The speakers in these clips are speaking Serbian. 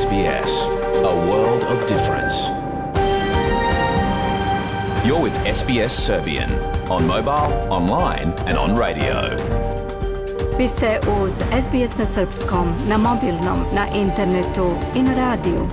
SBS, a world of difference. You're with SBS Serbian on mobile, online and on radio. Vi ste uz SBS na srpskom, na mobilnom, na internetu i na radiju.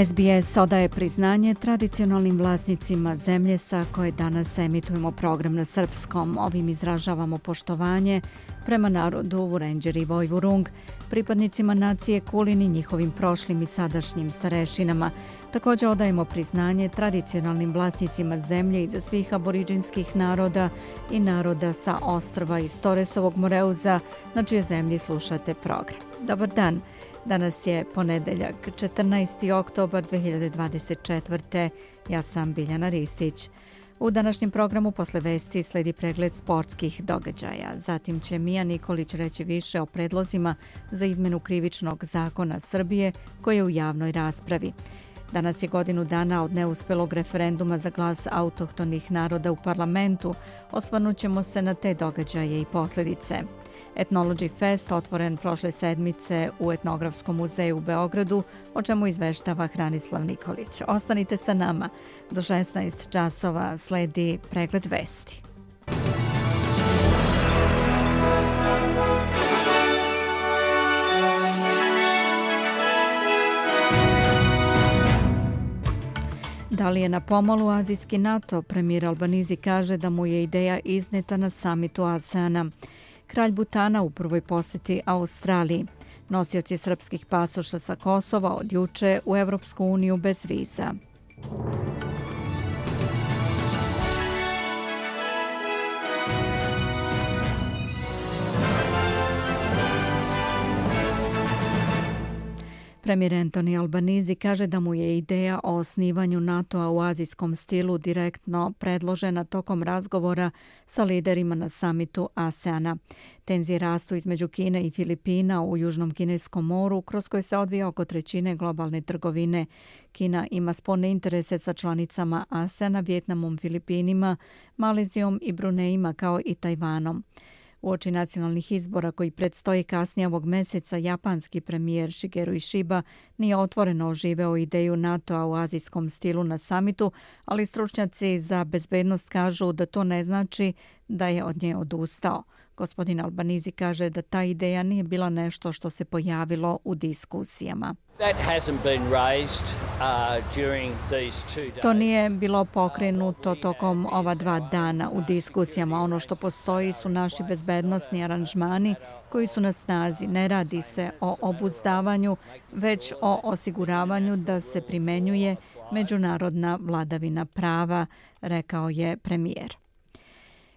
SBS odaje priznanje tradicionalnim vlasnicima zemlje sa koje danas emitujemo program na srpskom. Ovim izražavamo poštovanje prema narodu Vurendjeri i Vojvurung, pripadnicima nacije Kulin i njihovim prošlim i sadašnjim starešinama. Također odajemo priznanje tradicionalnim vlasnicima zemlje iza svih aboriđinskih naroda i naroda sa ostrva iz Toresovog Moreuza, na čije zemlji slušate program. Dobar dan! Danas je ponedeljak, 14. oktobar 2024. Ja sam Biljana Ristić. U današnjem programu posle vesti sledi pregled sportskih događaja. Zatim će Mija Nikolić reći više o predlozima za izmenu krivičnog zakona Srbije koji je u javnoj raspravi. Danas je godinu dana od neuspelog referenduma za glas autohtonih naroda u parlamentu. Osvrnut ćemo se na te događaje i posljedice. Ethnology Fest otvoren prošle sedmice u Etnografskom muzeju u Beogradu, o čemu izveštava Hranislav Nikolić. Ostanite sa nama. Do 16 časova sledi pregled vesti. Da li je na pomolu azijski NATO? Premijer Albanizi kaže da mu je ideja izneta na samitu ASEANA. Kralj Butana u prvoj posjeti Australiji. Nosioci srpskih pasoša sa Kosova od juče u Evropsku uniju bez viza. Premijer Anthony Albanizi kaže da mu je ideja o osnivanju NATO-a u azijskom stilu direktno predložena tokom razgovora sa liderima na samitu ASEANA. Tenzije rastu između Kine i Filipina u Južnom Kineskom moru, kroz koje se odvija oko trećine globalne trgovine. Kina ima sporne interese sa članicama ASEANA, Vijetnamom, Filipinima, Malezijom i Brunejima kao i Tajvanom. Uoči nacionalnih izbora koji predstoji kasnije ovog meseca, japanski premijer Shigeru Ishiba nije otvoreno oživeo ideju NATO-a u azijskom stilu na samitu, ali stručnjaci za bezbednost kažu da to ne znači da je od nje odustao. Gospodin Albanizi kaže da ta ideja nije bila nešto što se pojavilo u diskusijama. To nije bilo pokrenuto tokom ova 2 dana u diskusijama. Ono što postoji su naši bezbednosni aranžmani koji su na snazi. Ne radi se o obuzdavanju, već o osiguravanju da se primenjuje međunarodna vladavina prava, rekao je premijer.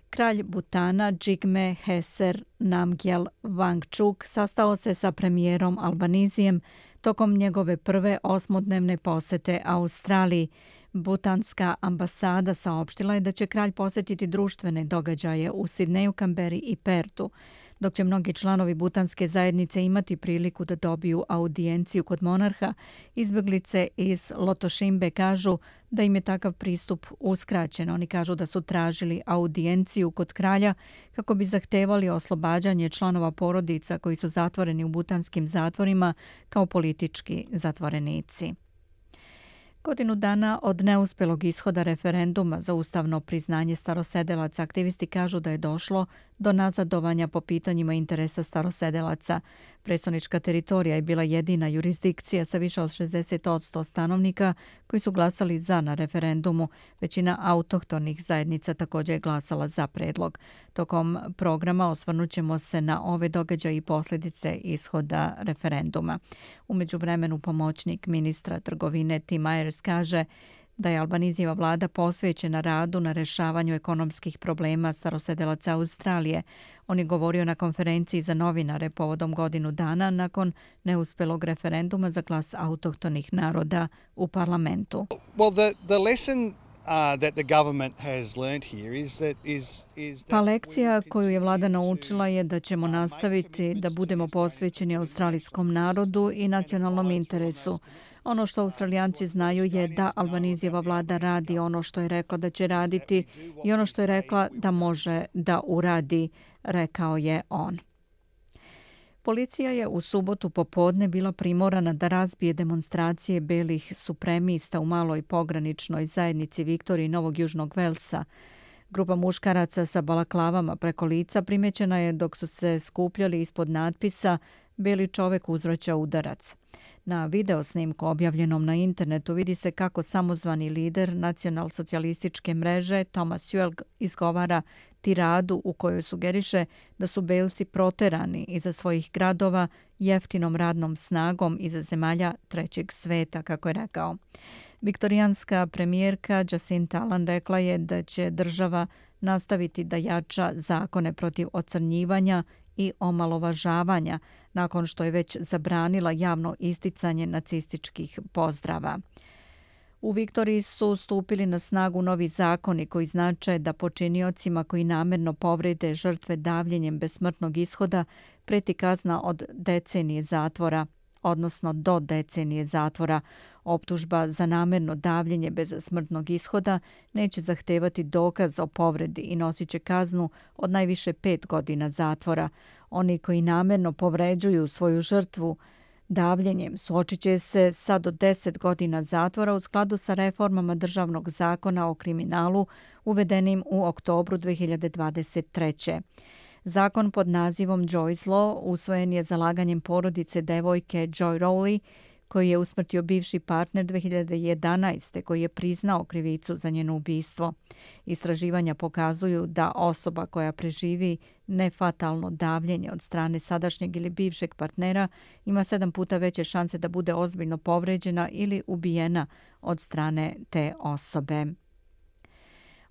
Kralj Butana Jigme Heser Namgyel Wangchuk sastao se sa premijerom Albanizijem tokom njegove prve 8-dnevne posete Australiji. Butanska ambasada saopštila je da će kralj posjetiti društvene događaje u Sidneju, Kamberi i Pertu, dok će mnogi članovi butanske zajednice imati priliku da dobiju audijenciju kod monarha. Izbjeglice iz Lotošimbe kažu da im je takav pristup uskraćen. Oni kažu da su tražili audijenciju kod kralja kako bi zahtevali oslobađanje članova porodica koji su zatvoreni u butanskim zatvorima kao politički zatvorenici. Godinu dana od neuspjelog ishoda referenduma za ustavno priznanje starosedelaca, aktivisti kažu da je došlo do nazadovanja po pitanjima interesa starosedelaca. Predstavnička teritorija je bila jedina jurisdikcija sa više od 60% stanovnika koji su glasali za na referendumu. Većina autohtonih zajednica također je glasala za predlog. Tokom programa osvrnut ćemo se na ove događaje i posljedice ishoda referenduma. U međuvremenu pomoćnik ministra trgovine Tim Myers kaže da je Albanizijeva vlada posvećena radu na rešavanju ekonomskih problema starosedelaca Australije. On je govorio na konferenciji za novinare povodom godinu dana nakon neuspelog referenduma za glas autohtonih naroda u parlamentu. Pa lekcija koju je vlada naučila je da ćemo nastaviti da budemo posvećeni australijskom narodu i nacionalnom interesu. Ono što Australijanci znaju je da Albanizijeva vlada radi ono što je rekla da će raditi i ono što je rekla da može da uradi, rekao je on. Policija je u subotu popodne bila primorana da razbije demonstracije belih supremista u maloj pograničnoj zajednici Viktorije i Novog Južnog Velsa. Grupa muškaraca sa balaklavama preko lica primećena je dok su se skupljali ispod natpisa "Beli čovek uzvraća udarac". Na videosnimku objavljenom na internetu vidi se kako samozvani lider nacionalsocijalističke mreže Thomas Juel izgovara tiradu u kojoj sugeriše da su belci proterani iza svojih gradova jeftinom radnom snagom iza zemalja trećeg sveta, kako je rekao. Viktorijanska premijerka Jacinta Allan rekla je da će država nastaviti da jača zakone protiv ocrnjivanja i omalovažavanja nakon što je već zabranila javno isticanje nacističkih pozdrava. U Viktoriji su stupili na snagu novi zakoni koji znače da počiniocima koji namerno povrede žrtve davljenjem bez smrtnog ishoda preti kazna od decenije zatvora, odnosno do decenije zatvora. Optužba za namerno davljenje bez smrtnog ishoda neće zahtevati dokaz o povredi i nosit će kaznu od najviše 5 godina zatvora. Oni koji namerno povređuju svoju žrtvu davljenjem suočit će se sa do 10 godina zatvora u skladu sa reformama državnog zakona o kriminalu uvedenim u oktobru 2023. Zakon pod nazivom Joy's Law usvojen je zalaganjem porodice devojke Joy Rowley, koji je usmrtio bivši partner 2011. koji je priznao krivicu za njeno ubistvo. Istraživanja pokazuju da osoba koja preživi nefatalno davljenje od strane sadašnjeg ili bivšeg partnera ima 7 puta veće šanse da bude ozbiljno povređena ili ubijena od strane te osobe.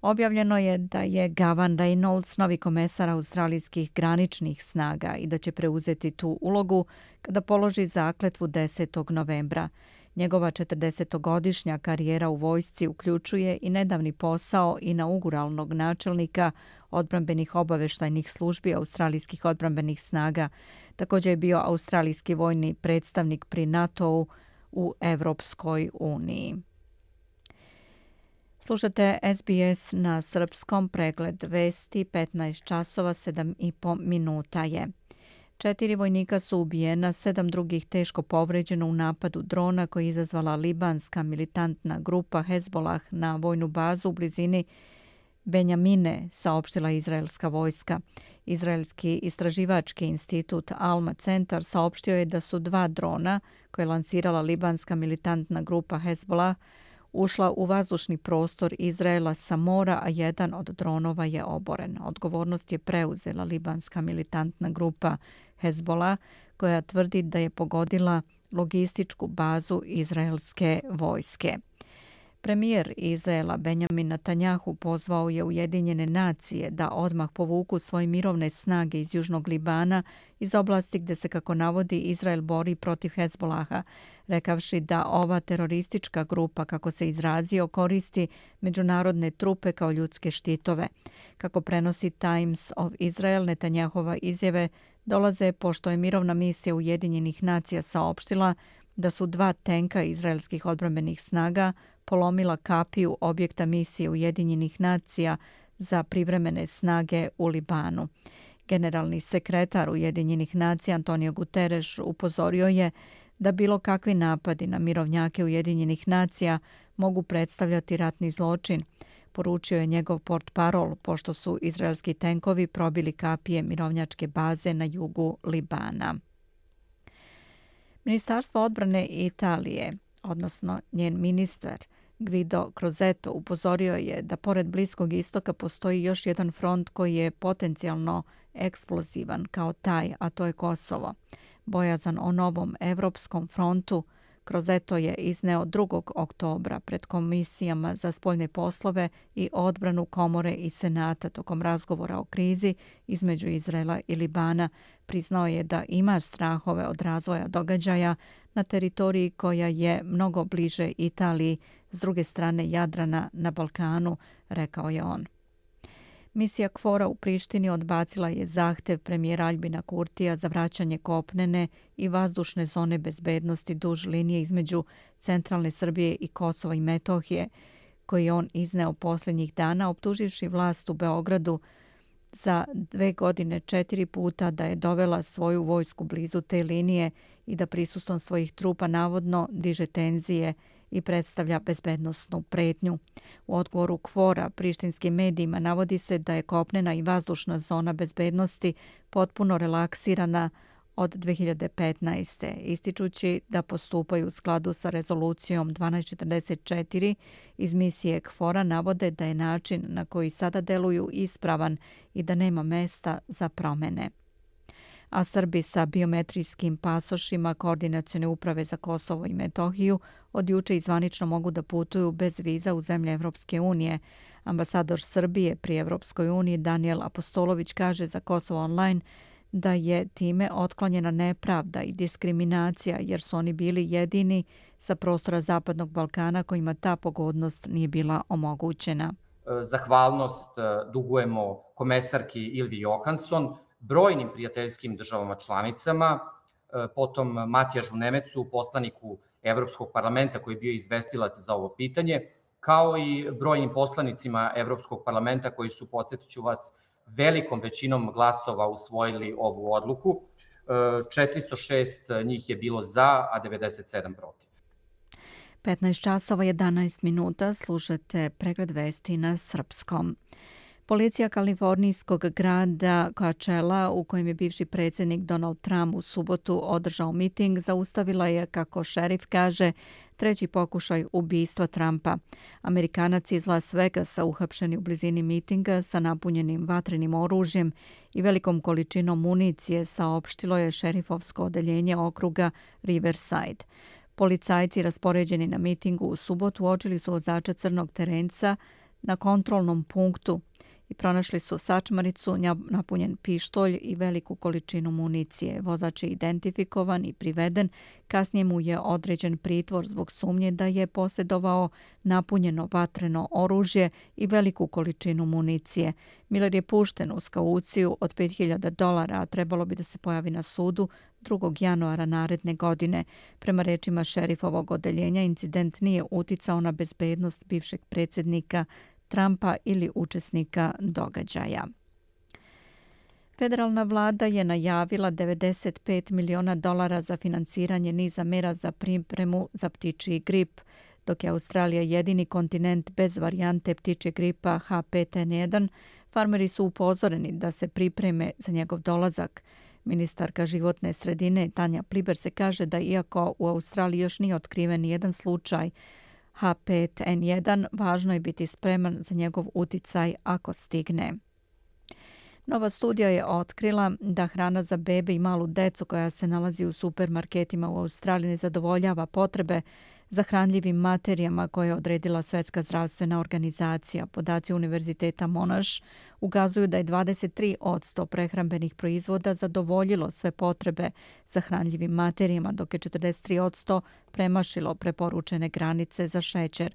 Objavljeno je da je Gavan Reynolds novi komesar australijskih graničnih snaga i da će preuzeti tu ulogu kada položi zakletvu 10. novembra. Njegova 40-godišnja karijera u vojsci uključuje i nedavni posao inauguralnog načelnika odbrambenih obaveštajnih službi australijskih odbrambenih snaga. Također je bio australijski vojni predstavnik pri NATO-u u Evropskoj uniji. Slušate SBS na srpskom, pregled vesti, 15 časova 7,5 minuta je. 4 vojnika su ubijena, 7 drugih teško povređeno u napadu drona koji je izazvala libanska militantna grupa Hezbollah na vojnu bazu u blizini Benjamine, saopštila izraelska vojska. Izraelski istraživački institut Alma Centar saopštio je da su 2 drona koje je lansirala libanska militantna grupa Hezbollah ušla u vazdušni prostor Izraela sa mora, a jedan od dronova je oboren. Odgovornost je preuzela libanska militantna grupa Hezbollah, koja tvrdi da je pogodila logističku bazu izraelske vojske. Premijer Izraela Benjamin Netanjahu pozvao je Ujedinjene nacije da odmah povuku svoje mirovne snage iz Južnog Libana iz oblasti gdje se, kako navodi, Izrael bori protiv Hezbolaha, rekavši da ova teroristička grupa, kako se izrazio, koristi međunarodne trupe kao ljudske štitove. Kako prenosi Times of Israel, Netanjahova izjave dolaze pošto je mirovna misija Ujedinjenih nacija saopštila da su 2 tenka izraelskih odbrambenih snaga polomila kapiju objekta misije Ujedinjenih nacija za privremene snage u Libanu. Generalni sekretar Ujedinjenih nacija Antonio Guterres upozorio je da bilo kakvi napadi na mirovnjake Ujedinjenih nacija mogu predstavljati ratni zločin. Poručio je njegov portparol pošto su izraelski tenkovi probili kapije mirovnjačke baze na jugu Libana. Ministarstvo odbrane Italije, odnosno njen ministar Guido Crosetto, upozorio je da pored Bliskog istoka postoji još jedan front koji je potencijalno eksplozivan kao taj, a to je Kosovo. Bojazan o novom evropskom frontu Crosetto je izneo 2. oktobra pred komisijama za spoljne poslove i odbranu Komore i Senata tokom razgovora o krizi između Izraela i Libana. Priznao je da ima strahove od razvoja događaja na teritoriji koja je mnogo bliže Italiji, s druge strane Jadrana na Balkanu, rekao je on. Misija KFOR-a u Prištini odbacila je zahtev premijera Aljbina Kurtija za vraćanje kopnene i vazdušne zone bezbednosti duž linije između centralne Srbije i Kosova i Metohije, koji je on izneo posljednjih dana, optuživši vlast u Beogradu za 2 godine 4 puta da je dovela svoju vojsku blizu te linije i da prisustvom svojih trupa navodno diže tenzije i predstavlja bezbednosnu pretnju. U odgovoru KFOR-a prištinskim medijima navodi se da je kopnena i vazdušna zona bezbednosti potpuno relaksirana od 2015. ističući da postupaju u skladu sa rezolucijom 1244 iz misije KFOR-a, navode da je način na koji sada deluju ispravan i da nema mesta za promene. A Srbi sa biometrijskim pasošima Koordinacione uprave za Kosovo i Metohiju od juče i zvanično mogu da putuju bez viza u zemlje Evropske unije. Ambasador Srbije pri Evropskoj uniji Danijel Apostolović kaže za Kosovo Online da je time otklonjena nepravda i diskriminacija jer su oni bili jedini sa prostora Zapadnog Balkana kojima ta pogodnost nije bila omogućena. Zahvalnost dugujemo komesarki Ilvi Johansson, brojnim prijateljskim državama članicama, potom Matijažu Nemecu, poslaniku Evropskog parlamenta koji je bio izvestilac za ovo pitanje, kao i brojnim poslanicima Evropskog parlamenta koji su, podsjetiću vas, velikom većinom glasova usvojili ovu odluku. 406 njih je bilo za, a 97 protiv. 15 časova 11 minuta, slušate pregled vesti na srpskom. Policija kalifornijskog grada Coachella, u kojem je bivši predsjednik Donald Trump u subotu održao miting, zaustavila je, kako šerif kaže, 3. pokušaj ubistva Trumpa. Amerikanac iz Las Vegasa uhapšeni u blizini mitinga sa napunjenim vatrenim oružjem i velikom količinom municije, saopštilo je šerifovsko odeljenje okruga Riverside. Policajci raspoređeni na mitingu u subotu uočili su vozača crnog terenca na kontrolnom punktu i pronašli su sačmaricu, napunjen pištolj i veliku količinu municije. Vozač je identifikovan i priveden. Kasnije mu je određen pritvor zbog sumnje da je posjedovao napunjeno vatreno oružje i veliku količinu municije. Miller je pušten uz kauciju od $5.000, a trebalo bi da se pojavi na sudu 2. januara naredne godine. Prema rečima šerifovog odeljenja, incident nije uticao na bezbednost bivšeg predsjednika Trumpa ili učesnika događaja. Federalna vlada je najavila $95 miliona za finansiranje niza mera za pripremu za ptičji grip. Dok je Australija jedini kontinent bez varijante ptičjeg gripa H5N1, farmeri su upozoreni da se pripreme za njegov dolazak. Ministarka životne sredine Tanja Pliber se kaže da iako u Australiji još nije otkriven nijedan slučaj H5N1, važno je biti spreman za njegov uticaj ako stigne. Nova studija je otkrila da hrana za bebe i malu decu koja se nalazi u supermarketima u Australiji ne zadovoljava potrebe za hranljivim materijama koje je odredila Svetska zdravstvena organizacija. Podaci Univerziteta Monash ukazuju da je 23% prehrambenih proizvoda zadovoljilo sve potrebe za hranljivim materijama, dok je 43% premašilo preporučene granice za šećer.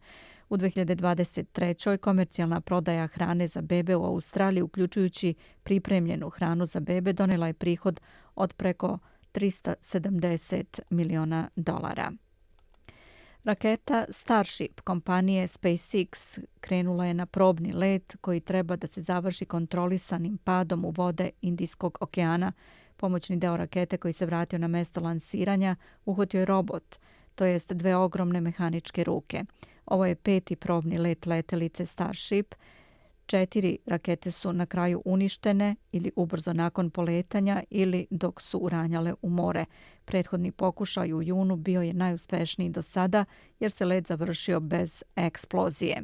U 2023. komercijalna prodaja hrane za bebe u Australiji, uključujući pripremljenu hranu za bebe, donela je prihod od preko $370 miliona. Raketa Starship kompanije SpaceX krenula je na probni let koji treba da se završi kontrolisanim padom u vode Indijskog okeana. Pomoćni deo rakete koji se vratio na mesto lansiranja uhvatio je robot, to jest 2 ogromne mehaničke ruke. Ovo je 5. probni let letelice Starship. 4 rakete su na kraju uništene ili ubrzo nakon poletanja ili dok su uranjale u more. Prethodni pokušaj u junu bio je najuspešniji do sada jer se let završio bez eksplozije.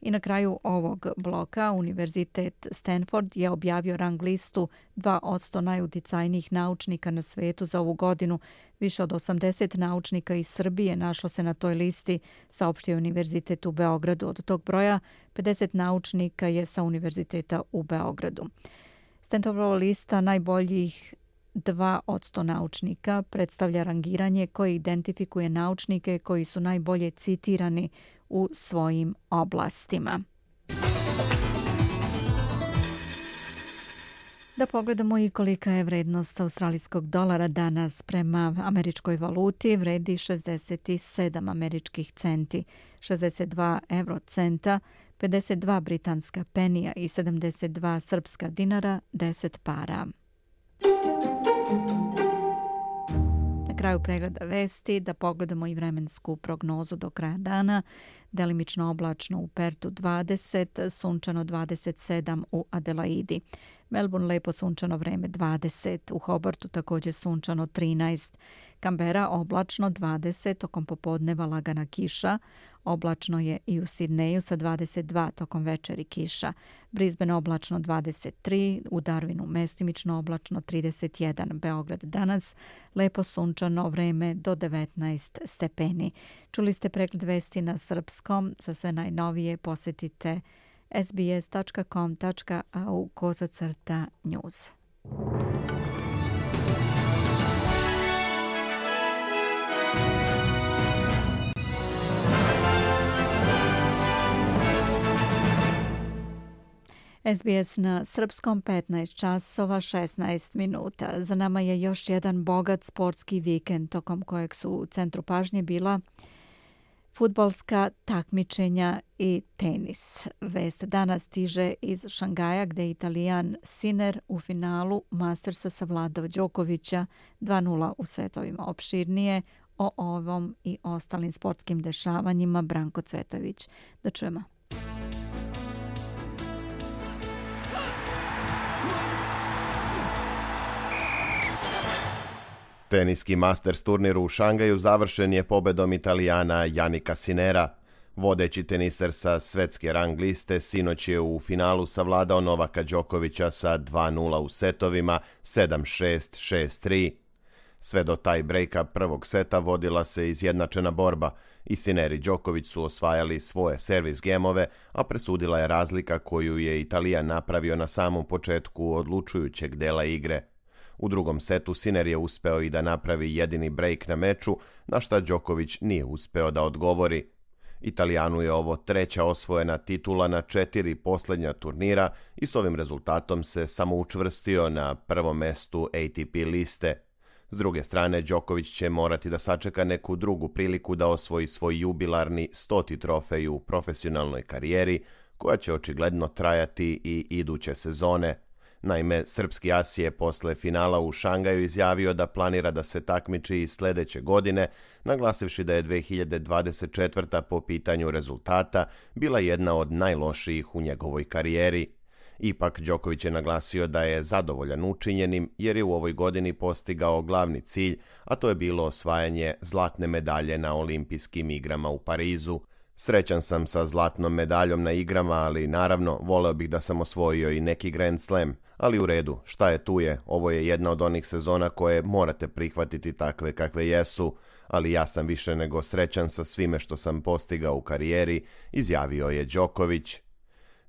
I na kraju ovog bloka Univerzitet Stanford je objavio rang listu 2% najuticajnijih naučnika na svetu za ovu godinu. Više od 80 naučnika iz Srbije našlo se na toj listi, saopštio Univerzitet u Beogradu. Od tog broja 50 naučnika je sa Univerziteta u Beogradu. Stanfordova lista najboljih 2% naučnika predstavlja rangiranje koje identifikuje naučnike koji su najbolje citirani u svojim oblastima. Da pogledamo i kolika je vrednost australijskog dolara danas. Prema američkoj valuti vredi 67 američkih centi, 62 eurocenta, 52 britanska penija i 72 srpska dinara 10 para. Na kraju pregleda vesti da pogledamo i vremensku prognozu do kraja dana. Delimično oblačno u Pertu 20, sunčano 27 u Adelaidi. Melbourne lepo sunčano vreme 20, u Hobartu također sunčano 13, Kambera oblačno 20, tokom popodneva lagana kiša, oblačno je i u Sidneju sa 22, tokom večeri kiša, Brisbane oblačno 23, u Darwinu mestimično oblačno 31, Beograd danas lepo sunčano vreme do 19 stepeni. Čuli ste pregled vesti na srpskom, za sve najnovije posjetite sbs.com.au/news. SBS na srpskom 15 časova 16 minuta. Za nama je još jedan bogat sportski vikend tokom kojeg su u centru pažnje bila fudbalska takmičenja i tenis. Vest danas stiže iz Šangaja gdje je Italijan Sinner u finalu Mastersa savladao Đokovića 2:0 u setovima. Opširnije o ovom i ostalim sportskim dešavanjima Branko Cvetović. Da čujemo. Teniski Masters turnir u Šangaju završen je pobedom Italijana Jannika Sinnera. Vodeći teniser sa svetske rang liste sinoć je u finalu savladao Novaka Đokovića sa 2:0 u setovima 7-6, 6-3. Sve do taj brejka prvog seta vodila se izjednačena borba i Sinner i Đoković su osvajali svoje servis gemove, a presudila je razlika koju je Italijan napravio na samom početku odlučujućeg dela igre. U drugom setu Sinner je uspeo i da napravi jedini brejk na meču, na šta Đoković nije uspeo da odgovori. Italijanu je ovo treća osvojena titula na 4 posljednja turnira i s ovim rezultatom se samo učvrstio na prvom mestu ATP liste. S druge strane, Đoković će morati da sačeka neku drugu priliku da osvoji svoj jubilarni 100. trofej u profesionalnoj karijeri, koja će očigledno trajati i iduće sezone. Naime, srpski as je posle finala u Šangaju izjavio da planira da se takmiči i sljedeće godine, naglasivši da je 2024. po pitanju rezultata bila jedna od najlošijih u njegovoj karijeri. Ipak, Đoković je naglasio da je zadovoljan učinjenim jer je u ovoj godini postigao glavni cilj, a to je bilo osvajanje zlatne medalje na olimpijskim igrama u Parizu. Srećan sam sa zlatnom medaljom na igrama, ali naravno voleo bih da sam osvojio i neki Grand Slam. Ali u redu, šta je tu je, ovo je jedna od onih sezona koje morate prihvatiti takve kakve jesu, ali ja sam više nego srećan sa svime što sam postigao u karijeri, izjavio je Đoković.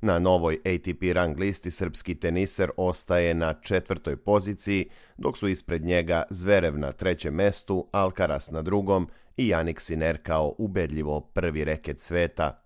Na novoj ATP rang listi srpski teniser ostaje na 4. poziciji, dok su ispred njega Zverev na 3. mestu, Alcaraz na 2. i Jannik Sinner kao ubedljivo prvi reket sveta.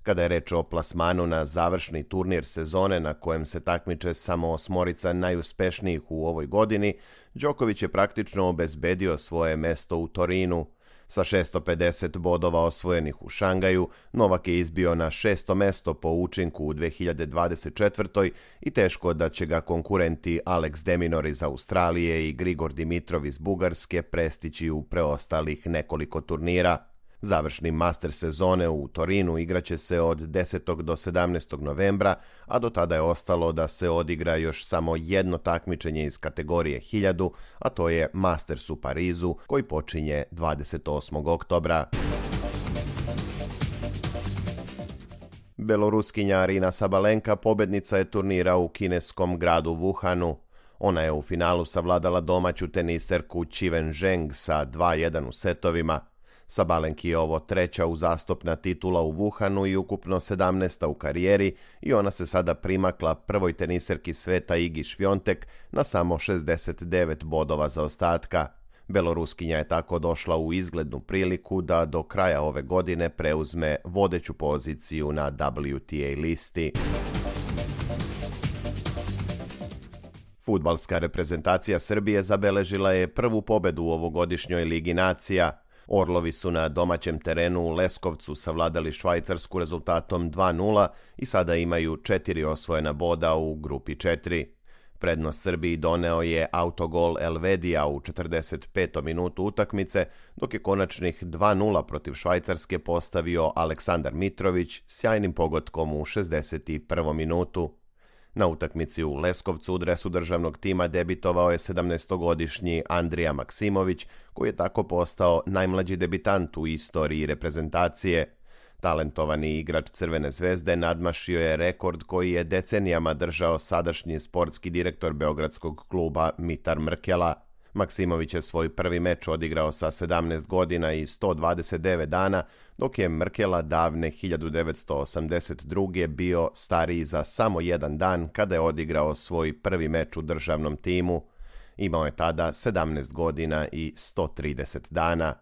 Kada je reč o plasmanu na završni turnir sezone na kojem se takmiče samo 8 najuspešnijih u ovoj godini, Đoković je praktično obezbedio svoje mesto u Torinu. Sa 650 bodova osvojenih u Šangaju, Novak je izbio na 6. mesto po učinku u 2024. i teško da će ga konkurenti Alex de Minaur iz Australije i Grigor Dimitrov iz Bugarske prestići u preostalih nekoliko turnira. Završni master sezone u Torinu igraće se od 10. do 17. novembra, a do tada je ostalo da se odigra još samo jedno takmičenje iz kategorije 1000, a to je Masters u Parizu, koji počinje 28. oktobra. Beloruskinja Arina Sabalenka pobednica je turnira u kineskom gradu Wuhanu. Ona je u finalu savladala domaću teniserku Qiwen Zheng sa 2:1 u setovima. Sabalenki je ovo treća uzastopna titula u Wuhanu i ukupno 17. u karijeri i ona se sada primakla prvoj teniserki sveta Igi Švjontek na samo 69 bodova zaostatka. Beloruskinja je tako došla u izglednu priliku da do kraja ove godine preuzme vodeću poziciju na WTA listi. Fudbalska reprezentacija Srbije zabeležila je prvu pobedu u ovogodišnjoj Ligi nacija. Orlovi su na domaćem terenu u Leskovcu savladali Švajcarsku rezultatom 2:0 i sada imaju 4 osvojena boda u grupi 4. Prednost Srbiji doneo je autogol Elvedija u 45. minutu utakmice, dok je konačnih 2:0 protiv Švajcarske postavio Aleksandar Mitrović sjajnim pogodkom u 61. minutu. Na utakmici u Leskovcu u dresu državnog tima debitovao je 17-godišnji Andrija Maksimović, koji je tako postao najmlađi debitant u istoriji reprezentacije. Talentovani igrač Crvene zvezde nadmašio je rekord koji je decenijama držao sadašnji sportski direktor beogradskog kluba Mitar Mrkela. Maksimović je svoj prvi meč odigrao sa 17 godina i 129 dana, dok je Mrkela davne 1982. bio stariji za samo jedan dan kada je odigrao svoj prvi meč u državnom timu. Imao je tada 17 godina i 130 dana.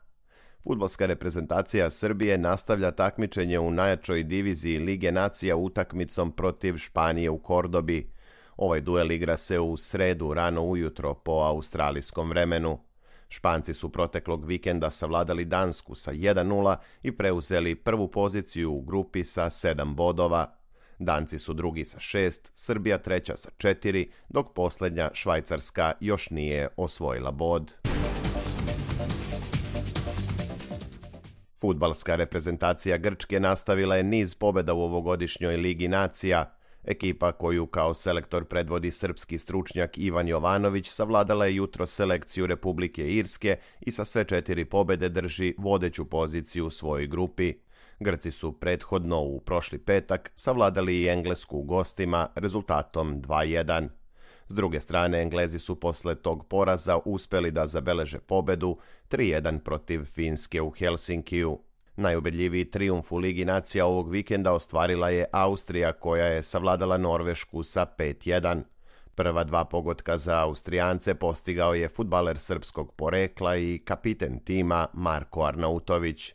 Fudbalska reprezentacija Srbije nastavlja takmičenje u najjačoj diviziji Lige nacija utakmicom protiv Španije u Kordobi. Ovaj duel igra se u sredu rano ujutro po australijskom vremenu. Španci su proteklog vikenda savladali Dansku sa 1:0 i preuzeli prvu poziciju u grupi sa 7 bodova. Danci su drugi sa 6, Srbija treća sa 4, dok posljednja Švajcarska još nije osvojila bod. Fudbalska reprezentacija Grčke nastavila je niz pobjeda u ovogodišnjoj Ligi nacija. Ekipa koju kao selektor predvodi srpski stručnjak Ivan Jovanović savladala je jutro selekciju Republike Irske i sa sve 4 pobjede drži vodeću poziciju u svojoj grupi. Grci su prethodno u prošli petak savladali i Englesku u gostima rezultatom 2:1. S druge strane, Englezi su posle tog poraza uspeli da zabeleže pobedu 3:1 protiv Finske u Helsinkiju. Najubedljiviji trijumf u Ligi nacija ovog vikenda ostvarila je Austrija, koja je savladala Norvešku sa 5:1. Prva 2 pogotka za Austrijance postigao je fudbaler srpskog porekla i kapiten tima Marko Arnautović.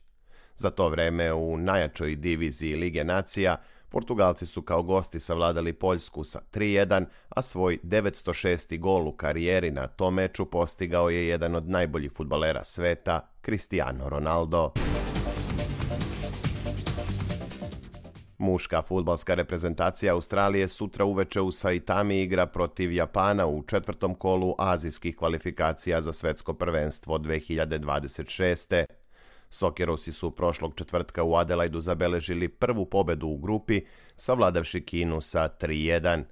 Za to vreme u najjačoj diviziji Lige nacija Portugalci su kao gosti savladali Poljsku sa 3:1, a svoj 906. gol u karijeri na tom meču postigao je jedan od najboljih fudbalera sveta, Cristiano Ronaldo. Muška fudbalska reprezentacija Australije sutra uveče u Saitami igra protiv Japana u 4. kolu azijskih kvalifikacija za svetsko prvenstvo 2026. Sokerosi su prošlog četvrtka u Adelaidu zabeležili prvu pobedu u grupi, savladavši Kinu sa 3:1.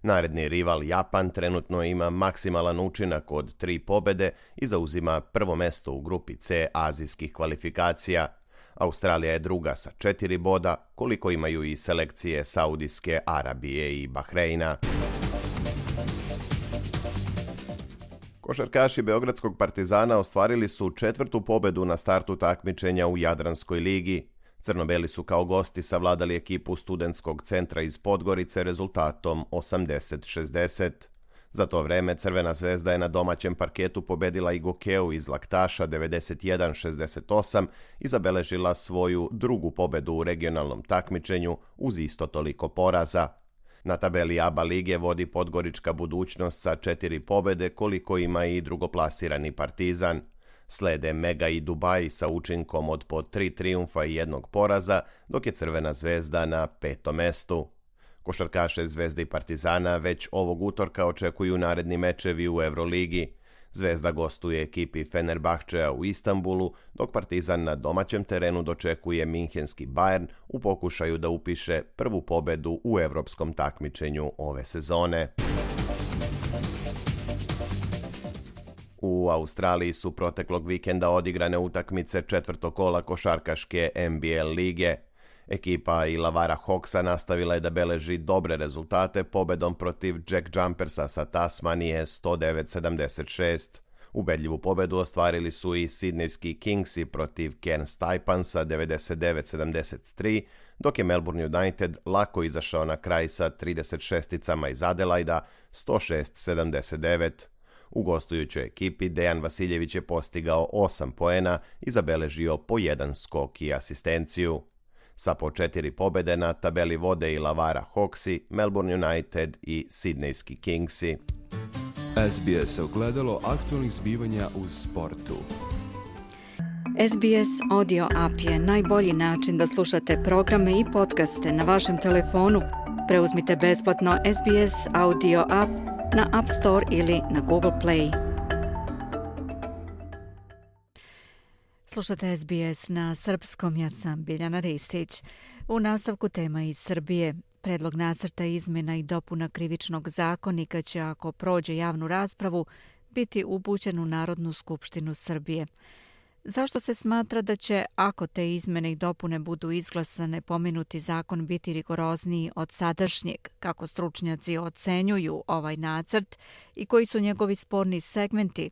Naredni rival Japan trenutno ima maksimalan učinak od 3 pobede i zauzima prvo mesto u grupi C azijskih kvalifikacija. Australija je druga sa 4 boda, koliko imaju i selekcije Saudijske Arabije i Bahreina. Košarkaši Beogradskog Partizana ostvarili su 4. pobedu na startu takmičenja u Jadranskoj ligi. Crnobeli su kao gosti savladali ekipu Studentskog centra iz Podgorice rezultatom 80-60. Za to vreme Crvena zvezda je na domaćem parketu pobedila i Gokeu iz Laktaša 91-68 i zabeležila svoju drugu pobedu u regionalnom takmičenju uz isto toliko poraza. Na tabeli ABA lige vodi Podgorička Budućnost sa 4 pobede, koliko ima i drugoplasirani Partizan. Slede Mega i Dubai sa učinkom od po 3 trijumfa i 1 poraza, dok je Crvena zvezda na 5. mestu. Košarkaše Zvezde i Partizana već ovog utorka očekuju naredni mečevi u Euroligi. Zvezda gostuje ekipi Fenerbahčea u Istanbulu, dok Partizan na domaćem terenu dočekuje minhenski Bayern u pokušaju da upiše prvu pobedu u evropskom takmičenju ove sezone. U Australiji su proteklog vikenda odigrane utakmice 4. kola košarkaške NBL lige. Ekipa Illawarra Hawksa nastavila je da beleži dobre rezultate pobedom protiv Jack Jumpersa sa Tasmanije 109-76. Ubedljivu pobedu ostvarili su i Sidnejski Kingsi protiv Cairns Taipansa 99-73, dok je Melbourne United lako izašao na kraj sa 36-icama iz Adelaida 106-79. U gostujućoj ekipi Dejan Vasiljević je postigao 8 poena i zabeležio po 1 skok i asistenciju. Sa po 4 pobede na tabeli vode Illawarra Hawksi, Melbourne United i Sidnejski Kingsi. SBS ogledalo aktualnih zbivanja u sportu. SBS Audio App je najbolji način da slušate programe i podcaste na vašem telefonu. Preuzmite besplatno SBS Audio App na App Store ili na Google Play. Slušate SBS na srpskom, ja sam Biljana Ristić. U nastavku tema iz Srbije. Predlog nacrta izmjena i dopuna Krivičnog zakonika će, ako prođe javnu raspravu, biti upućen u Narodnu skupštinu Srbije. Zašto se smatra da će, ako te izmjene i dopune budu izglasane, pomenuti zakon biti rigorozniji od sadašnjeg? Kako stručnjaci ocenjuju ovaj nacrt i koji su njegovi sporni segmenti?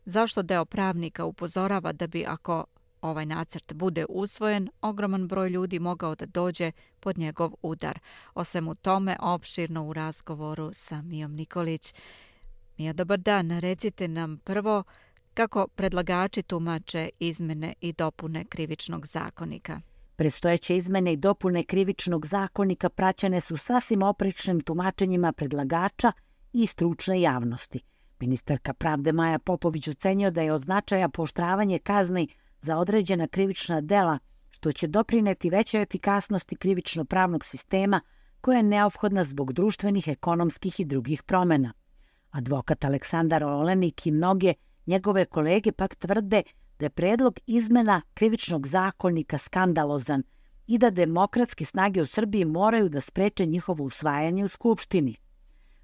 Zašto deo pravnika upozorava da bi, ako ovaj nacrt bude usvojen, ogroman broj ljudi mogao da dođe pod njegov udar? O svemu tome opširno u razgovoru sa Mijom Nikolić. Mija, dobar dan. Recite nam prvo kako predlagači tumače izmene i dopune Krivičnog zakonika. Predstojeće izmene i dopune Krivičnog zakonika praćene su sasvim oprečnim tumačenjima predlagača i stručne javnosti. Ministarka pravde Maja Popović ocenio da je od značaja pooštravanje kazni za određena krivična dela, što će doprineti većoj efikasnosti krivično-pravnog sistema koja je neophodna zbog društvenih, ekonomskih i drugih promjena. Advokat Aleksandar Olenik i mnoge njegove kolege pak tvrde da je predlog izmena Krivičnog zakonika skandalozan i da demokratske snage u Srbiji moraju da spreče njihovo usvajanje u Skupštini.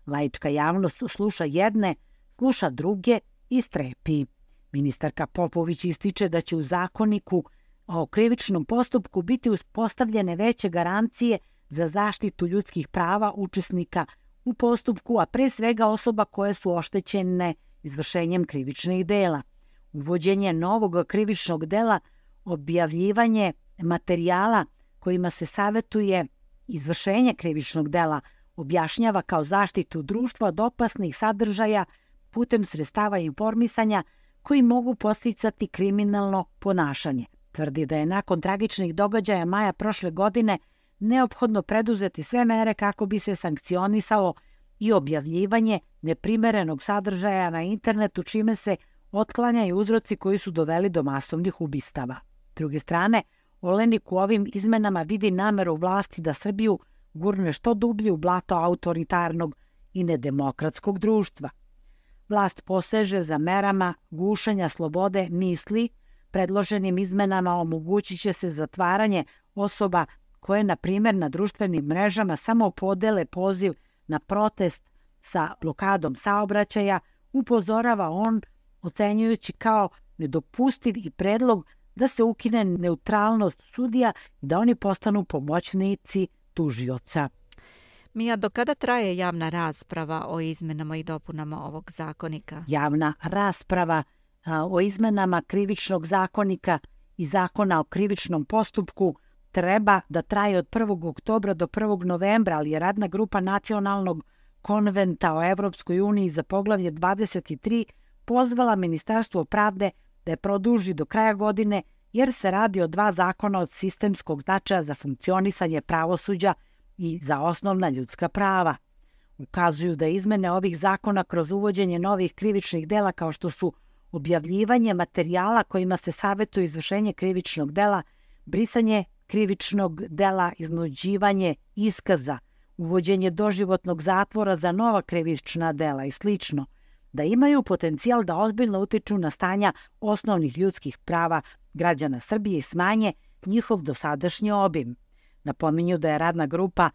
Laička javnost sluša jedne, sluša druge i strepi. Ministarka Popović ističe da će u zakoniku o krivičnom postupku biti uspostavljene veće garancije za zaštitu ljudskih prava učesnika u postupku, a pre svega osoba koje su oštećene izvršenjem krivičnih dela. Uvođenje novog krivičnog dela, objavljivanje materijala kojima se savetuje izvršenje krivičnog dela, objašnjava kao zaštitu društva od opasnih sadržaja putem sredstava informisanja koji mogu podsticati kriminalno ponašanje. Tvrdi da je nakon tragičnih događaja maja prošle godine neophodno preduzeti sve mere kako bi se sankcionisalo i objavljivanje neprimerenog sadržaja na internetu, čime se otklanjaju uzroci koji su doveli do masovnih ubistava. S druge strane, Olenik u ovim izmenama vidi nameru vlasti da Srbiju gurne što dublje u blato autoritarnog i nedemokratskog društva. Vlast poseže za merama gušenja slobode misli. Predloženim izmenama omogućit će se zatvaranje osoba koje, na primjer, na društvenim mrežama samo podele poziv na protest sa blokadom saobraćaja, upozorava on, ocenjujući kao nedopustiv i predlog da se ukine neutralnost sudija i da oni postanu pomoćnici tužioca. Mija, do kada traje javna rasprava o izmenama i dopunama ovog zakonika? Javna rasprava o izmenama Krivičnog zakonika i Zakona o krivičnom postupku treba da traje od 1. oktobra do 1. novembra, ali je radna grupa Nacionalnog konventa o Evropskoj uniji za poglavlje 23 pozvala Ministarstvo pravde da je produži do kraja godine, jer se radi o 2 zakona od sistemskog značaja za funkcionisanje pravosuđa i za osnovna ljudska prava. Ukazuju da izmene ovih zakona kroz uvođenje novih krivičnih dela kao što su objavljivanje materijala kojima se savetuje izvršenje krivičnog dela, brisanje krivičnog dela, iznuđivanje iskaza, uvođenje doživotnog zatvora za nova krivična dela i slično, da imaju potencijal da ozbiljno utiču na stanja osnovnih ljudskih prava građana Srbije i smanje njihov dosadašnji obim. Napominju da je radna grupa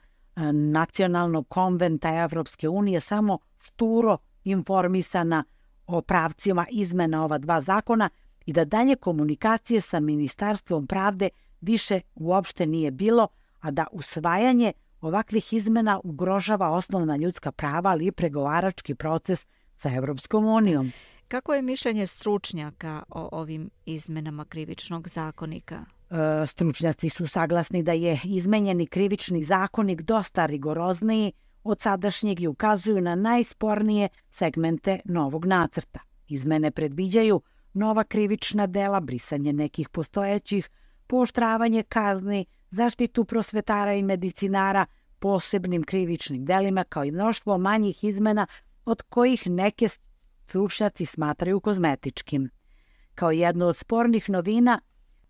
Nacionalnog konventa Evropske unije samo šturo informisana o pravcima izmena ova 2 zakona i da dalje komunikacije sa Ministarstvom pravde više uopšte nije bilo, a da usvajanje ovakvih izmena ugrožava osnovna ljudska prava, ali i pregovarački proces sa Evropskom unijom. Kako je mišljenje stručnjaka o ovim izmenama Krivičnog zakonika? Stručnjaci su saglasni da je izmenjeni Krivični zakonik dosta rigorozniji od sadašnjeg i ukazuju na najspornije segmente novog nacrta. Izmene predviđaju nova krivična dela, brisanje nekih postojećih, pooštravanje kazni, zaštitu prosvetara i medicinara posebnim krivičnim delima, kao i mnoštvo manjih izmena od kojih neke stručnjaci smatraju kozmetičkim. Kao jednu od spornih novina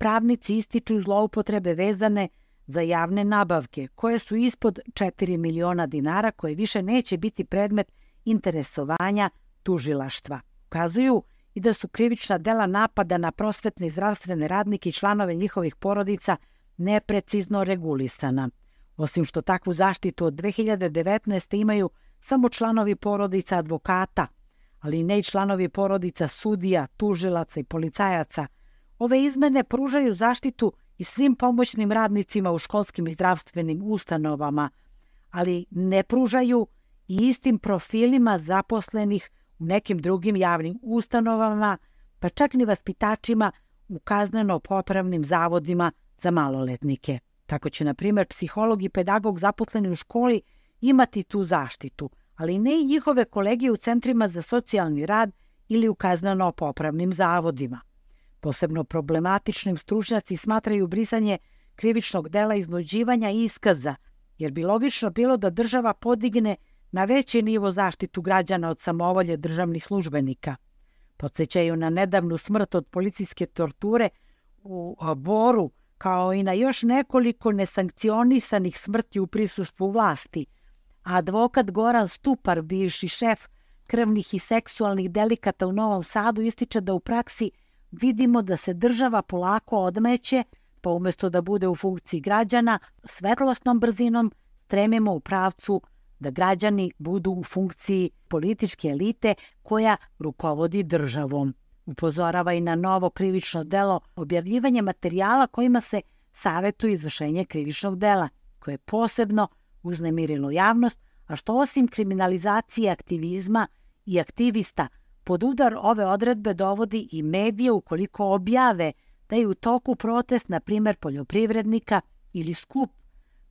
pravnici ističu zloupotrebe vezane za javne nabavke, koje su ispod 4 miliona dinara, koje više neće biti predmet interesovanja tužilaštva. Ukazuju i da su krivična dela napada na prosvetne i zdravstvene radnike i članove njihovih porodica neprecizno regulisana. Osim što takvu zaštitu od 2019. imaju samo članovi porodica advokata, ali ne i članovi porodica sudija, tužilaca i policajaca, ove izmene pružaju zaštitu i svim pomoćnim radnicima u školskim i zdravstvenim ustanovama, ali ne pružaju i istim profilima zaposlenih u nekim drugim javnim ustanovama, pa čak ni vaspitačima u kazneno-popravnim zavodima za maloletnike. Tako će, na primjer, psiholog i pedagog zaposleni u školi imati tu zaštitu, ali ne i njihove kolege u centrima za socijalni rad ili u kazneno-popravnim zavodima. Posebno problematičnim stručnjaci smatraju brisanje krivičnog dela iznuđivanja iskaza, jer bi logično bilo da država podigne na veći nivo zaštitu građana od samovolje državnih službenika. Podsjećaju na nedavnu smrt od policijske torture u Boru, kao i na još nekoliko nesankcionisanih smrti u prisustvu vlasti. A advokat Goran Stupar, bivši šef krvnih i seksualnih delikata u Novom Sadu, ističe da u praksi vidimo da se država polako odmeće, pa umjesto da bude u funkciji građana, svetlosnom brzinom stremimo u pravcu da građani budu u funkciji političke elite koja rukovodi državom. Upozorava i na novo krivično delo objavljivanje materijala kojima se savjetuje izvršenje krivičnog dela, koje je posebno uznemirilo javnost, a što osim kriminalizacije aktivizma i aktivista, pod udar ove odredbe dovodi i medije ukoliko objave da je u toku protest, na primjer poljoprivrednika ili skup,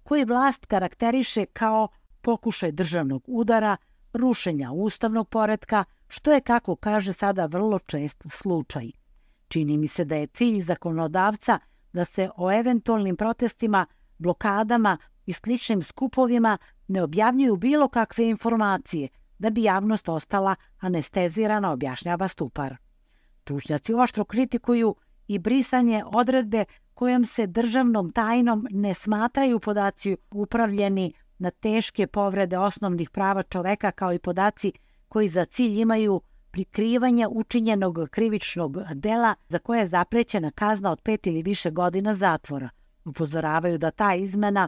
koji vlast karakteriše kao pokušaj državnog udara, rušenja ustavnog poretka, što je, kako kaže sada, vrlo čest slučaj. Čini mi se da je cilj zakonodavca da se o eventualnim protestima, blokadama i sličnim skupovima ne objavljuju bilo kakve informacije, da bi javnost ostala anestezirana, objašnjava Stupar. Stručnjaci oštro kritikuju i brisanje odredbe kojom se državnom tajnom ne smatraju podaci upravljeni na teške povrede osnovnih prava čoveka, kao i podaci koji za cilj imaju prikrivanje učinjenog krivičnog dela za koje je zaprećena kazna od 5 ili više godina zatvora. Upozoravaju da ta izmena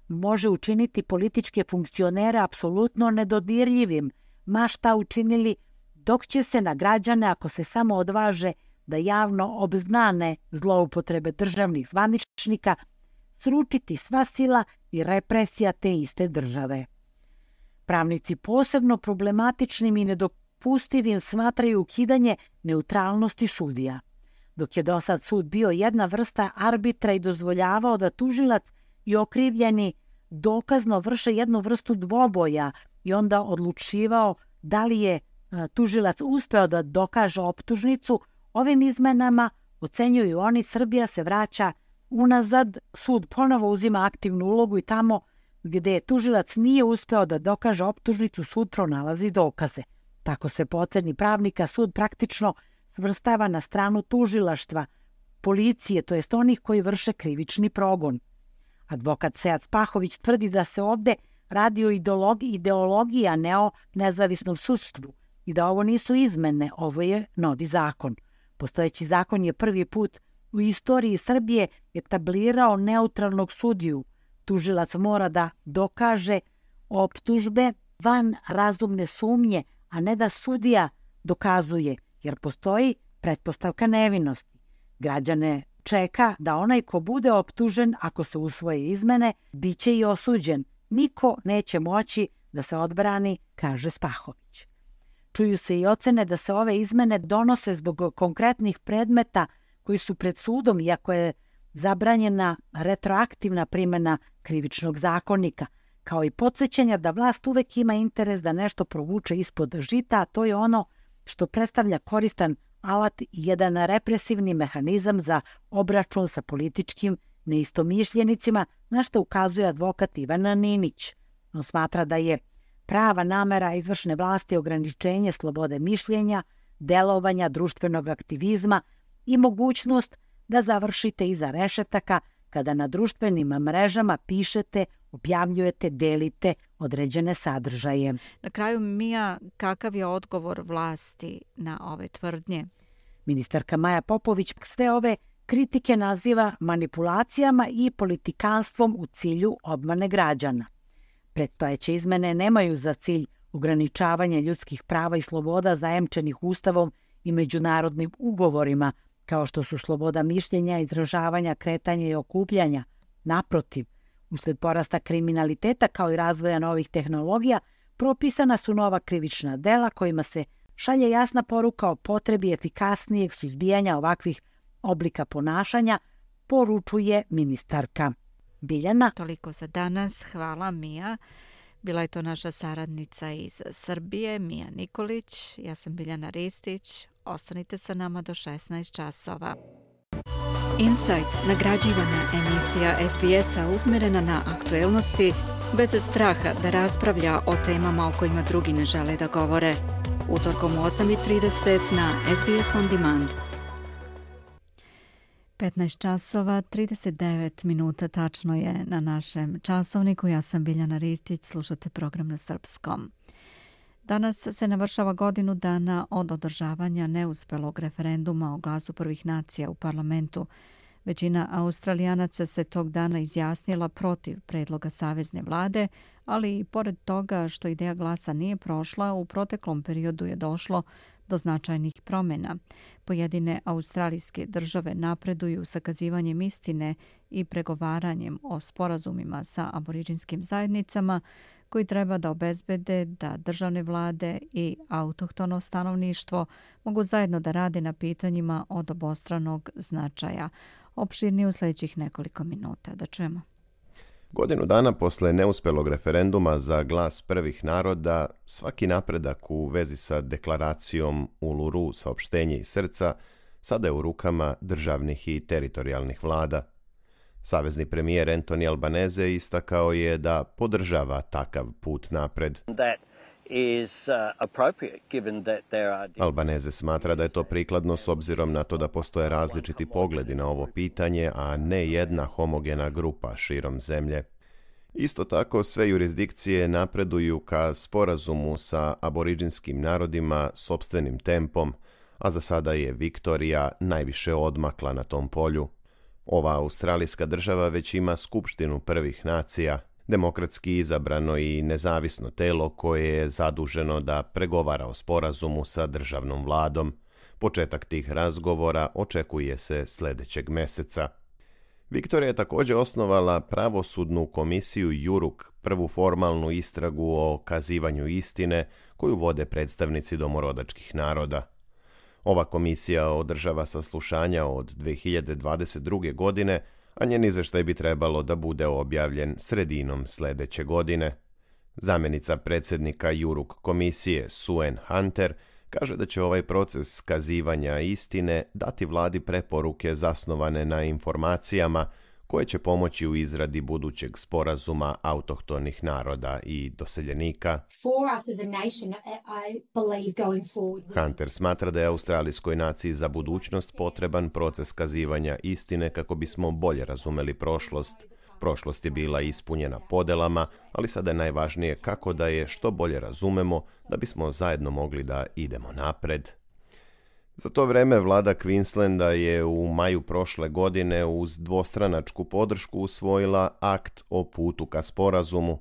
može učiniti političke funkcionere apsolutno nedodirljivim, ma šta učinili, dok će se na građane, ako se samo odvaže da javno obznane zloupotrebe državnih zvaničnika, sručiti sva sila i represija te iste države. Pravnici posebno problematičnim i nedopustivim smatraju ukidanje neutralnosti sudija. Dok je dosad sud bio jedna vrsta arbitra i dozvoljavao da tužilac i okrivljeni dokazno vrše jednu vrstu dvoboja i onda odlučivao da li je tužilac uspeo da dokaže optužnicu, ovim izmenama, ocenjuju oni, Srbija se vraća unazad, sud ponovo uzima aktivnu ulogu i tamo gde tužilac nije uspeo da dokaže optužnicu, sud pronalazi dokaze. Tako se po oceni pravnika sud praktično svrstava na stranu tužilaštva, policije, to jest onih koji vrše krivični progon. Advokat Sead Spahović tvrdi da se ovde radi o ideologiji, a ne o nezavisnom sudstvu i da ovo nisu izmene, ovo je novi zakon. Postojeći zakon je prvi put u istoriji Srbije etablirao neutralnog sudiju. Tužilac mora da dokaže optužbe van razumne sumnje, a ne da sudija dokazuje, jer postoji pretpostavka nevinosti. Građane čeka da onaj ko bude optužen, ako se usvoje izmene, bit će i osuđen. Niko neće moći da se odbrani, kaže Spahović. Čuju se i ocene da se ove izmene donose zbog konkretnih predmeta koji su pred sudom, iako je zabranjena retroaktivna primjena krivičnog zakonika, kao i podsjećanja da vlast uvek ima interes da nešto provuče ispod žita, a to je ono što predstavlja koristan alat i jedan represivni mehanizam za obračun sa političkim neistomišljenicima, na što ukazuje advokat Ivana Ninić. On smatra da je prava namera izvršne vlasti ograničenje slobode mišljenja, delovanja, društvenog aktivizma i mogućnost da završite iza rešetaka kada na društvenim mrežama pišete, objavljujete, delite određene sadržaje. Na kraju, Mija, kakav je odgovor vlasti na ove tvrdnje? Ministarka Maja Popović sve ove kritike naziva manipulacijama i politikanstvom u cilju obmane građana. Predstojeće izmene nemaju za cilj ograničavanje ljudskih prava i sloboda zajemčenih Ustavom i međunarodnim ugovorima, kao što su sloboda mišljenja, izražavanja, kretanja i okupljanja. Naprotiv, usled porasta kriminaliteta kao i razvoja novih tehnologija, propisana su nova krivična dela kojima se šalje jasna poruka o potrebi efikasnijeg suzbijanja ovakvih oblika ponašanja, poručuje ministarka. Biljana. Toliko za danas. Hvala, Mija. Bila je to naša saradnica iz Srbije, Mija Nikolić. Ja sam Biljana Ristić. Ostanite sa nama do 16 časova. Insight, nagrađivana emisija SBS-a usmjerena na aktuelnosti, bez straha da raspravlja o temama o kojima drugi ne žele da govore. Utorkom u 8:30 na SBS On Demand. 15 časova, 39 minuta tačno je na našem časovniku. Ja sam Biljana Ristić, slušate program na srpskom. Danas se navršava godinu dana od održavanja neuspelog referenduma o glasu prvih nacija u parlamentu. Većina Australijanaca se tog dana izjasnila protiv predloga savezne vlade, ali i pored toga što ideja glasa nije prošla, u proteklom periodu je došlo do značajnih promjena. Pojedine australijske države napreduju sakazivanjem istine i pregovaranjem o sporazumima sa aboriđinskim zajednicama koji treba da obezbede da državne vlade i autohtono stanovništvo mogu zajedno da rade na pitanjima od obostranog značaja. Opširnije u sljedećih nekoliko minuta. Da čujemo. Godinu dana posle neuspelog referenduma za glas prvih naroda, svaki napredak u vezi sa deklaracijom Uluru saopštenje iz srca sada je u rukama državnih i teritorijalnih vlada. Savezni premijer Anthony Albanese istakao je da podržava takav put napred. Albanese smatra da je to prikladno s obzirom na to da postoje različiti pogledi na ovo pitanje, a ne jedna homogena grupa širom zemlje. Isto tako, sve jurisdikcije napreduju ka sporazumu sa aboriđinskim narodima sopstvenim tempom, a za sada je Viktorija najviše odmakla na tom polju. Ova australijska država već ima skupštinu prvih nacija, demokratski izabrano i nezavisno telo koje je zaduženo da pregovara o sporazumu sa državnom vladom. Početak tih razgovora očekuje se sljedećeg meseca. Viktorija je također osnovala pravosudnu komisiju Juruk, prvu formalnu istragu o kazivanju istine koju vode predstavnici domorodačkih naroda. Ova komisija održava saslušanja od 2022. godine, a njen izveštaj bi trebalo da bude objavljen sredinom sljedeće godine. Zamjenica predsjednika Juruk komisije Suen Hunter kaže da će ovaj proces kazivanja istine dati vladi preporuke zasnovane na informacijama koje će pomoći u izradi budućeg sporazuma autohtonih naroda i doseljenika. Hunter smatra da je australijskoj naciji za budućnost potreban proces kazivanja istine kako bismo bolje razumeli prošlost. Prošlost je bila ispunjena podelama, ali sada je najvažnije kako da je što bolje razumemo da bismo zajedno mogli da idemo napred. Za to vreme vlada Queenslanda je u maju prošle godine uz dvostranačku podršku usvojila akt o putu ka sporazumu.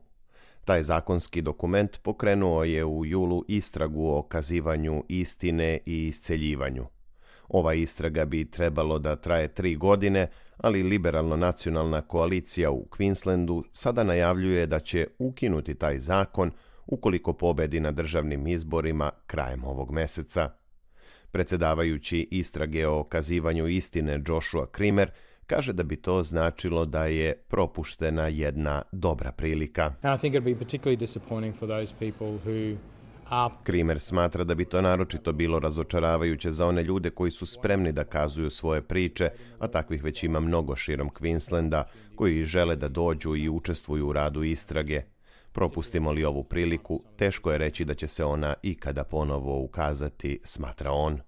Taj zakonski dokument pokrenuo je u julu istragu o kazivanju istine i isceljivanju. Ova istraga bi trebalo da traje 3 godine, ali liberalno-nacionalna koalicija u Queenslandu sada najavljuje da će ukinuti taj zakon ukoliko pobedi na državnim izborima krajem ovog meseca. Predsjedavajući istrage o kazivanju istine Joshua Creamer kaže da bi to značilo da je propuštena jedna dobra prilika. Creamer smatra da bi to naročito bilo razočaravajuće za one ljude koji su spremni da kazuju svoje priče, a takvih već ima mnogo širom Queenslanda, koji žele da dođu i učestvuju u radu istrage. Propustimo li ovu priliku, teško je reći da će se ona ikada ponovo ukazati, smatra on.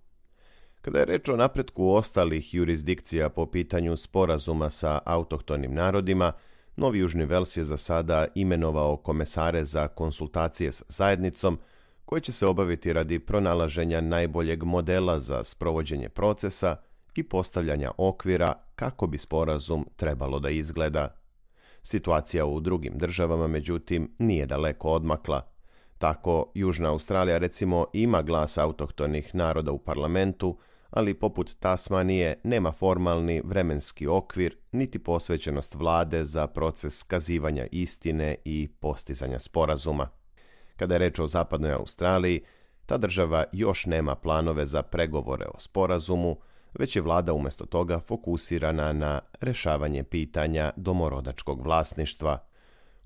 Kada je reč o napretku ostalih jurisdikcija po pitanju sporazuma sa autohtonim narodima, Novi Južni Vels je za sada imenovao komesare za konsultacije s zajednicom, koje će se obaviti radi pronalaženja najboljeg modela za sprovođenje procesa i postavljanja okvira kako bi sporazum trebalo da izgleda. Situacija u drugim državama, međutim, nije daleko odmakla. Tako, Južna Australija recimo ima glas autohtonih naroda u parlamentu, ali poput Tasmanije nema formalni vremenski okvir niti posvećenost vlade za proces kazivanja istine i postizanja sporazuma. Kada je reč o Zapadnoj Australiji, ta država još nema planove za pregovore o sporazumu, već je vlada umjesto toga fokusirana na rešavanje pitanja domorodačkog vlasništva.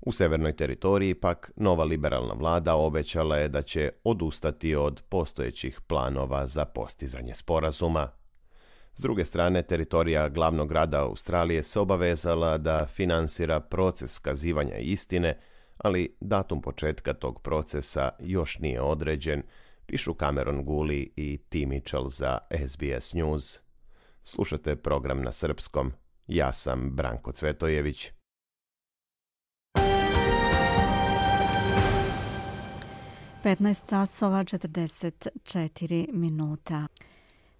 U Severnoj teritoriji pak nova liberalna vlada obećala je da će odustati od postojećih planova za postizanje sporazuma. S druge strane, teritorija glavnog grada Australije se obavezala da finansira proces kazivanja istine, ali datum početka tog procesa još nije određen, pišu Cameron Guli i T. Mitchell za SBS News. Slušate program na srpskom. Ja sam Branko Cvetojević. časova 44 minuta.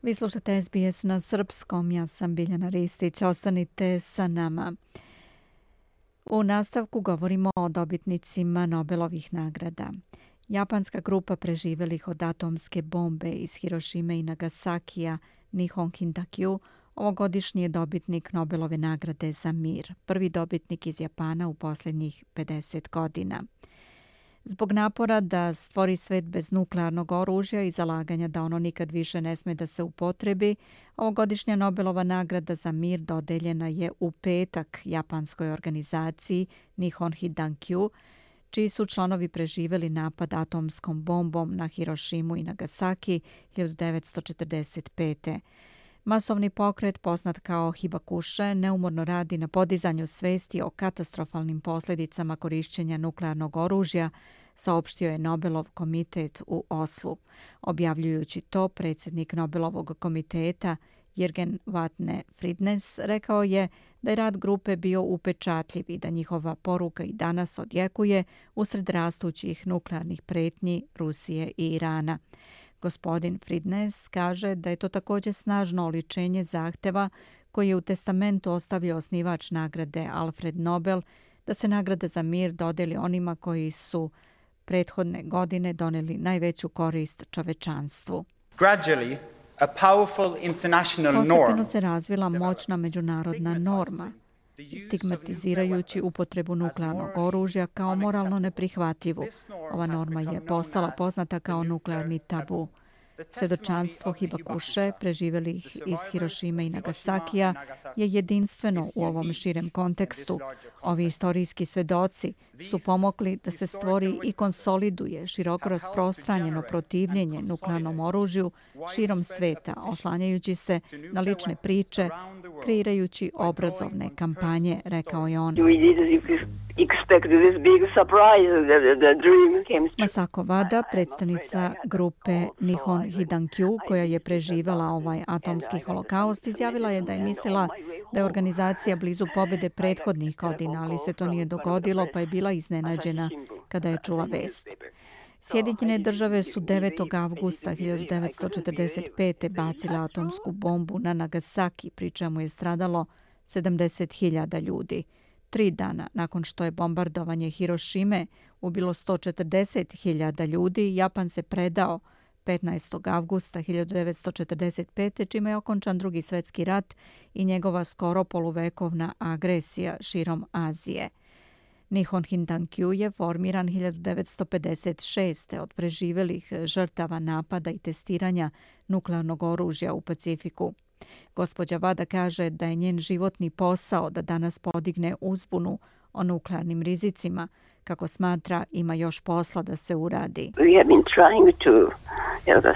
Vi slušate SBS na srpskom, ja sam Biljana Ristić, ostanite sa nama. U nastavku govorimo o dobitnicima Nobelovih nagrada. Japanska grupa preživelih od atomske bombe iz Hirošime i Nagasakija, Nihon Hintakyu, ovogodišnji je dobitnik Nobelove nagrade za mir, prvi dobitnik iz Japana u posljednjih 50 godina. Zbog napora da stvori svet bez nuklearnog oružja i zalaganja da ono nikad više ne sme da se upotrebi, ovogodišnja Nobelova nagrada za mir dodeljena je u petak japanskoj organizaciji Nihon Hintakyu, čiji su članovi preživeli napad atomskom bombom na Hirošimu i Nagasaki 1945. Masovni pokret, poznat kao Hibakushe, neumorno radi na podizanju svesti o katastrofalnim posljedicama korišćenja nuklearnog oružja, saopštio je Nobelov komitet u Oslu. Objavljujući to, predsjednik Nobelovog komiteta Jürgen Vatne Fridnes rekao je da je rad grupe bio upečatljiv i da njihova poruka i danas odjekuje usred rastućih nuklearnih pretnji Rusije i Irana. Gospodin Fridnes kaže da je to također snažno oličenje zahteva koji je u testamentu ostavio osnivač nagrade Alfred Nobel da se nagrada za mir dodeli onima koji su prethodne godine doneli najveću korist čovečanstvu. Postepeno se razvila moćna međunarodna norma, stigmatizirajući upotrebu nuklearnog oružja kao moralno neprihvatljivu. Ova norma je postala poznata kao nuklearni tabu. Svedočanstvo Hibakushe, preživelih iz Hirošime i Nagasakija, je jedinstveno u ovom širem kontekstu. Ovi istorijski svedoci su pomogli da se stvori i konsoliduje široko rasprostranjeno protivljenje nuklearnom oružju širom sveta, oslanjajući se na lične priče, kreirajući obrazovne kampanje, rekao je on. Masako Wada, predstavnica grupe Nihon Hintakyu, koja je preživala ovaj atomski holokaust, izjavila je da je mislila da je organizacija blizu pobjede prethodnih godina, ali se to nije dogodilo, pa je bila iznenađena kada je čula vest. Sjedinjene države su 9. avgusta 1945. bacile atomsku bombu na Nagasaki, pri čemu je stradalo 70.000 ljudi. 3 dana nakon što je bombardovanje Hirošime ubilo 140.000 ljudi, Japan se predao 15. avgusta 1945. čime je okončan Drugi svjetski rat i njegova skoro poluvekovna agresija širom Azije. Nihon Hintakyu je formiran 1956. od preživelih žrtava napada i testiranja nuklearnog oružja u Pacifiku. Gospođa Wada kaže da je njen životni posao da danas podigne uzbunu o nuklearnim rizicima. Kako smatra, ima još posla da se uradi.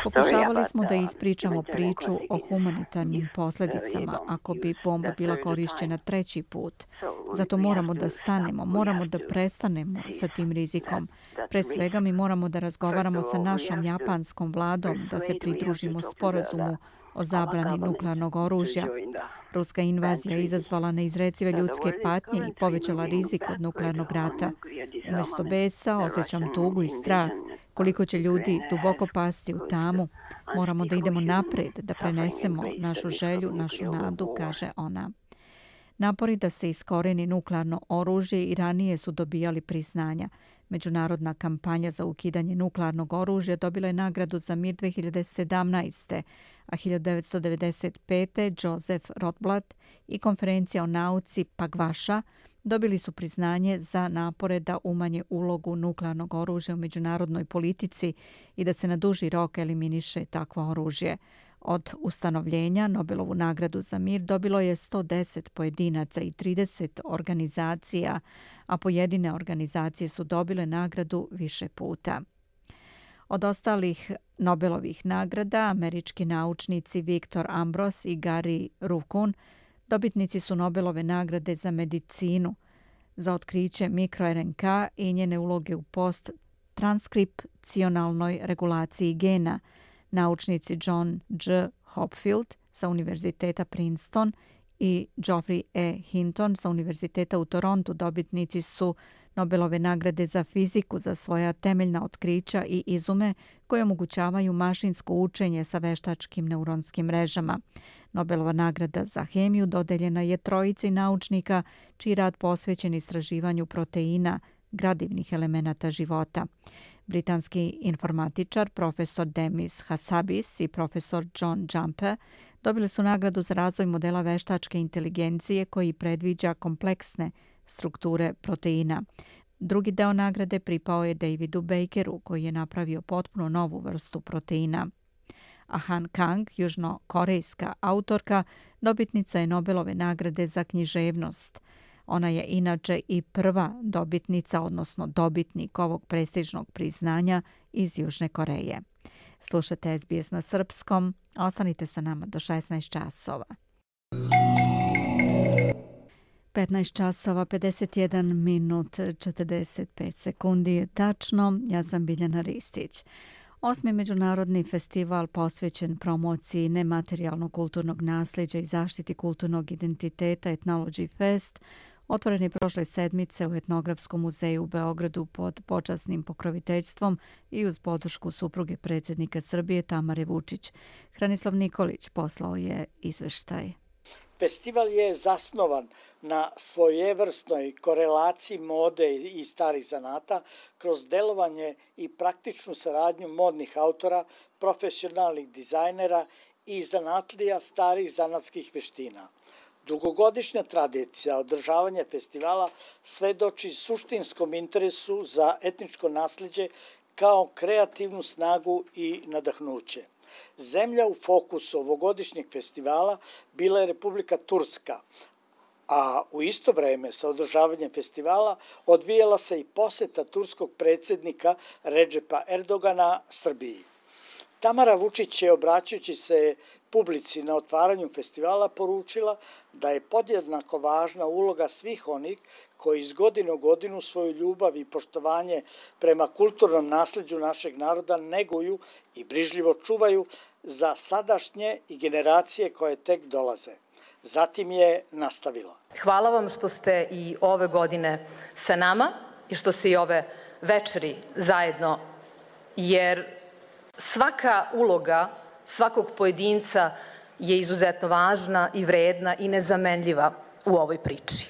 Pokušavali smo da ispričamo priču o humanitarnim posljedicama ako bi bomba bila korišćena 3. put. Zato moramo da stanemo, moramo da prestanemo sa tim rizikom. Pre svega mi moramo da razgovaramo sa našom japanskom vladom, da se pridružimo sporazumu o zabrani nuklearnog oružja. Ruska invazija je izazvala neizrecive ljudske patnje i povećala rizik od nuklearnog rata. Umjesto besa osjećam tugu i strah. Koliko će ljudi duboko pasti u tamu. Moramo da idemo napred, da prenesemo našu želju, našu nadu, kaže ona. Napori da se iskoreni nuklearno oružje i ranije su dobijali priznanja. Međunarodna kampanja za ukidanje nuklearnog oružja dobila je nagradu za mir 2017. a 1995. Joseph Rotblat i konferencija o nauci Pagvaša dobili su priznanje za napore da umanje ulogu nuklearnog oružja u međunarodnoj politici i da se na duži rok eliminiše takvo oružje. Od ustanovljenja Nobelovu nagradu za mir dobilo je 110 pojedinaca i 30 organizacija, a pojedine organizacije su dobile nagradu više puta. Od ostalih Nobelovih nagrada, američki naučnici Viktor Ambros i Gary Ruvkun dobitnici su Nobelove nagrade za medicinu, za otkriće mikro-RNK i njene uloge u post-transkripcionalnoj regulaciji gena. Naučnici John G. Hopfield sa Univerziteta Princeton i Geoffrey E. Hinton sa Univerziteta u Torontu dobitnici su Nobelove nagrade za fiziku za svoja temeljna otkrića i izume koje omogućavaju mašinsko učenje sa veštačkim neuronskim mrežama. Nobelova nagrada za hemiju dodeljena je trojici naučnika čiji rad posvećen istraživanju proteina, gradivnih elemenata života. Britanski informatičar profesor Demis Hassabis i profesor John Jumper dobili su nagradu za razvoj modela veštačke inteligencije koji predviđa kompleksne strukture proteina. Drugi deo nagrade pripao je Davidu Bakeru koji je napravio potpuno novu vrstu proteina. A Han Kang, južnokorejska autorka, dobitnica je Nobelove nagrade za književnost. Ona je inače i prva dobitnica, odnosno dobitnik ovog prestižnog priznanja iz Južne Koreje. Slušate SBS na srpskom. Ostanite sa nama do 16 časova. 15 časova, 51 minut, 45 sekundi je tačno. Ja sam Biljana Ristić. 8. međunarodni festival posvećen promociji nematerijalnog kulturnog nasljeđa i zaštiti kulturnog identiteta Ethnology Fest otvoren je prošle sedmice u Etnografskom muzeju u Beogradu pod počasnim pokroviteljstvom i uz podršku supruge predsjednika Srbije Tamare Vučić. Hranislav Nikolić poslao je izveštaj. Festival je zasnovan na svojevrsnoj korelaciji mode i starih zanata kroz delovanje i praktičnu saradnju modnih autora, profesionalnih dizajnera i zanatlija starih zanatskih veština. Dugogodišnja tradicija održavanja festivala svedoči suštinskom interesu za etničko nasljeđe kao kreativnu snagu i nadahnuće. Zemlja u fokusu ovogodišnjeg festivala bila je Republika Turska, a u isto vreme sa održavanjem festivala odvijala se i poseta turskog predsjednika Redžepa Erdogana Srbiji. Tamara Vučić je, obraćajući se publici na otvaranju festivala, poručila da je podjednako važna uloga svih onih koji iz godine u godinu svoju ljubav i poštovanje prema kulturnom nasljeđu našeg naroda neguju i brižljivo čuvaju za sadašnje i generacije koje tek dolaze. Zatim je nastavila. Hvala vam što ste i ove godine sa nama i što se i ove večeri zajedno, jer svaka uloga svakog pojedinca je izuzetno važna i vredna i nezamenljiva u ovoj priči.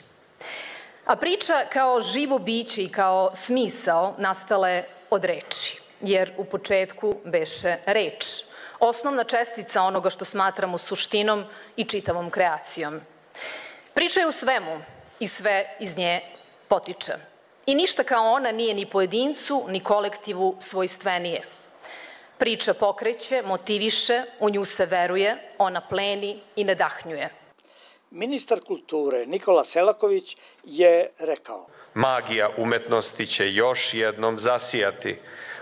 A priča kao živo biće i kao smisao nastale od reči, jer u početku beše reč, osnovna čestica onoga što smatramo suštinom i čitavom kreacijom. Priča je u svemu i sve iz nje potiče. I ništa kao ona nije ni pojedincu, ni kolektivu svojstvenije. Priča pokreće, motiviše, u nju se veruje, ona pleni i nadahnjuje. Ministar kulture Nikola Selaković je rekao: Magija umetnosti će još jednom zasijati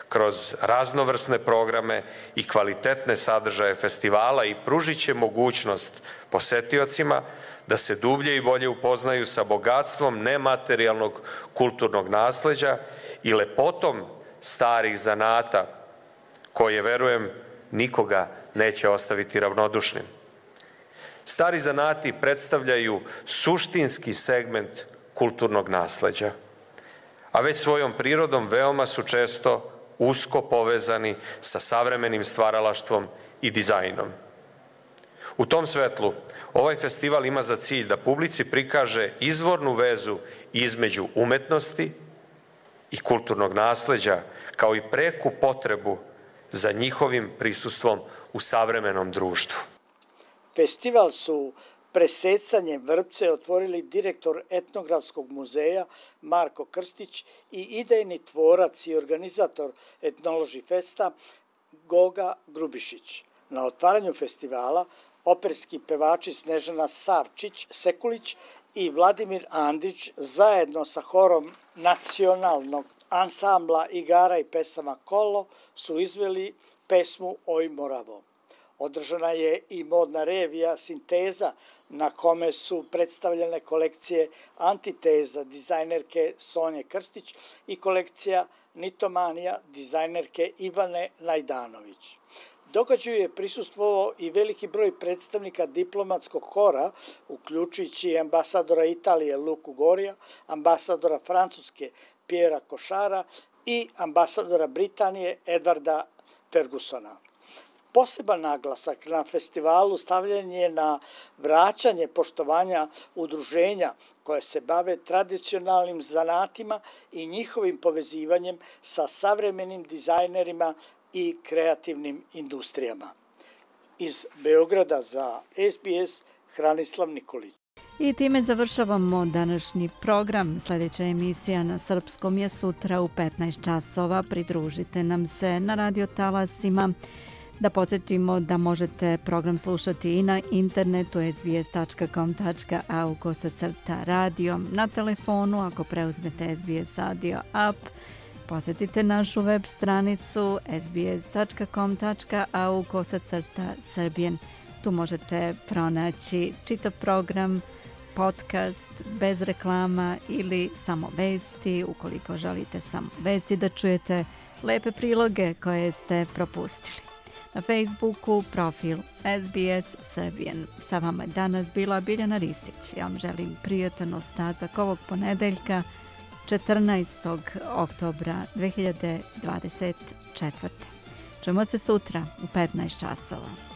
kroz raznovrsne programe i kvalitetne sadržaje festivala i pružit će mogućnost posetiocima da se dublje i bolje upoznaju sa bogatstvom nematerijalnog kulturnog nasleđa i lepotom starih zanata koje, verujem, nikoga neće ostaviti ravnodušnim. Stari zanati predstavljaju suštinski segment kulturnog nasleđa, a već svojom prirodom veoma su često usko povezani sa savremenim stvaralaštvom i dizajnom. U tom svetlu, ovaj festival ima za cilj da publici prikaže izvornu vezu između umetnosti i kulturnog nasleđa, kao i preku potrebu za njihovim prisustvom u savremenom društvu. Festival su presecanjem vrpce otvorili direktor Etnografskog muzeja Marko Krstić i idejni tvorac i organizator Etnology Festa Goga Grubišić. Na otvaranju festivala operski pevači Snežana Savčić-Sekulić i Vladimir Andrić zajedno sa horom nacionalnog ansambla igara i pesama Kolo su izveli pesmu Oj Moravo. Održana je i modna revija Sinteza na kome su predstavljene kolekcije Antiteza dizajnerke Sonje Krstić i kolekcija Nitomanija dizajnerke Ivane Najdanović. Događaju je prisustvovao i veliki broj predstavnika diplomatskog kora, uključujući ambasadora Italije Luku Gorija, ambasadora Francuske Piera Košara i ambasadora Britanije Edvarda Fergusona. Poseban naglasak na festivalu stavljen je na vraćanje poštovanja udruženja koje se bave tradicionalnim zanatima i njihovim povezivanjem sa savremenim dizajnerima i kreativnim industrijama. Iz Beograda za SBS Hranislav Nikolić. I time završavamo današnji program. Sljedeća emisija na srpskom je sutra u 15 časova. Pridružite nam se na radio talasima. Da podsjetimo da možete program slušati i na internetu sbs.com.au/radio, na telefonu ako preuzmete SBS audio app. Posjetite našu web stranicu sbs.com.au/Serbian. Tu možete pronaći čitav program, podcast bez reklama ili samo vesti, ukoliko želite samo vesti da čujete, lepe priloge koje ste propustili. Na Facebooku profil SBS Serbian. Sa vama je danas bila Biljana Ristić. Ja vam želim prijatan ostatak ovog ponedeljka 14. oktobra 2024. Čujemo se sutra u 15 časova.